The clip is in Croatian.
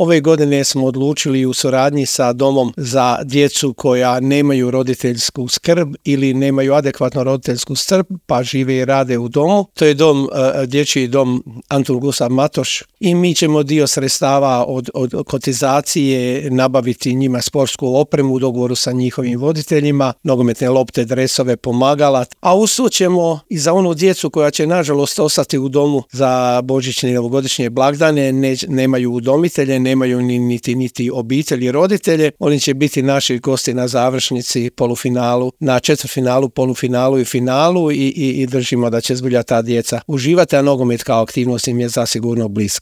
Ove godine smo odlučili u suradnji sa domom za djecu koja nemaju roditeljsku skrb ili nemaju adekvatnu roditeljsku skrb, pa žive i rade u domu. To je dječji dom Antun Gustav Matoš i mi ćemo dio sredstava od kotizacije nabaviti njima sportsku opremu u dogovoru sa njihovim voditeljima, nogometne lopte, dresove, pomagala, a usto ćemo i za onu djecu koja će nažalost ostati u domu za božićne i novogodišnje blagdane, nemaju udomitelje, nemaju niti obitelji, roditelje, oni će biti naši gosti na završnici, polufinalu, na četvrtfinalu, polufinalu i finalu i držimo da će zbilja ta djeca uživati, a nogomet kao aktivnost im je zasigurno bliska.